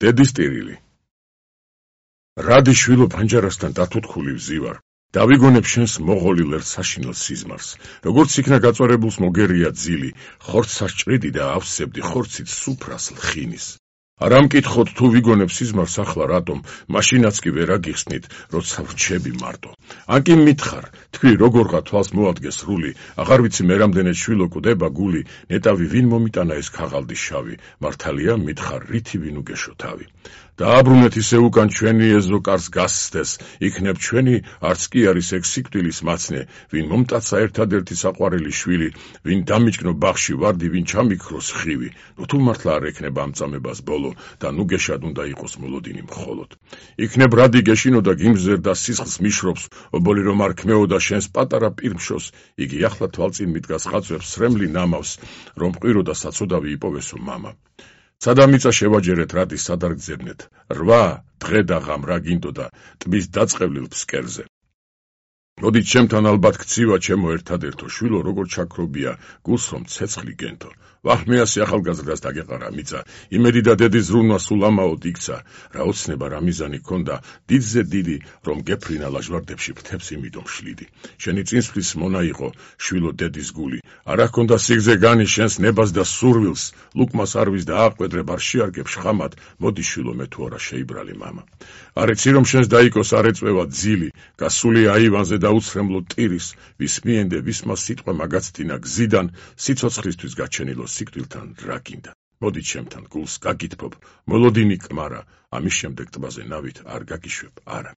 დედის ტირილი. რადი შვილო ფანჯარასთან დათუთხული ვზივარ. დავიგონებ შენს მოღოლი ლერთ საშინელ სიზმარს. როგორც იქნა გაწვარებულს მოგერია ძილი, ხორცს სჭრიდი და ავსებდი ხორცით სუფრას ლხინის. არ ამკითხოთ თუ ვიგონებ სიზმარს ახლა რატომ, მაშინაც კი ვერ აგიხსნით, როცა ვრჩები მარტო. ან კი მითხარ, თქვი როგორღა თვალს მოადგე სრული, აღარ ვიცი მე რამდენად შვილო კვდება გული, ნეტავი ვინ მომიტანა ეს ქაღალდი შავი, მართალია მითხარ რითი ვინ უგეშო თავი. დააბრუნეთ ისე უკან ჩვენი ეზო კარს გასცდეს, იქნებ ჩვენი არც კი არის ეგ სიკვდილის მაცნე, ვინ მომტაცა ერთადერთი საყვარელი შვილი, ვინ დამიჭკნო ბაღში ვარდი, ვინ ჩამიქროს ხივი, ნუ თუ მართლა არ ექნება ამწამებას ბოლო და ნუ გეშად უნდა იყოს მოლოდინი მხოლოდ. იქნებ რადი გეშინოდა გიმზერდა სისხლს მიშრობს, ობოლი რომ არ ქმეოდა შენს პატარა პირმშოს, იგი ახლა თვალწინ მიდგას ხაწვებს სრემლი ნამავს, რომ მყიროდა საწოდავი იპოვესო მამა. სადამიწა შევაჯერეთ რატი სადარ გძებნეთ, 8 დღე და ღამ რა გინდოდა ტბის დაწყევლილ ფსკერზე. მოდით ჩემთან ალბათ გცივა ჩემო ერთადერთო შვილო როგორ ჩაქრობია გულს რომ ცეცხლი გენთო. ვახმიასი ახალგაზრდას დაგეყარა მიწა, იმედი და დედის ზრუნვა სულ ამაოდ იქცა, რა ოცნება რა მიზანი ქონდა, დიდზე დიდი, რომ გეფრინა ლაჟვარდებში ფრთებს იმიდომ შლიდი. შენი წინსვლის მონა იყო, შვილო დედის გული, არა ჰქონდა სიგზე განი შენს ნებას და სურვილს, ლუკმას არვის და აყვედრებ არ შეარგებ შხამად, მოდი შვილო მე თუ არა შეიბრალი მამა. არ იცი რომ შენს დაიკოს არ ეწვევა ძილი, გასული აივანზე და უცრემლო ტირის, ვის მიენდე ვისმა სიტყვა მაგაცდინა გზიდან, სიცოცხლისთვის გაჩენილო სიკვდილთან რა გინდა. მოდი ჩემთან გულს გაგითბობ, მოლოდინი კმარა, ამის შემდეგ ტბაზე ნავით არ გაგიშვებ, არა.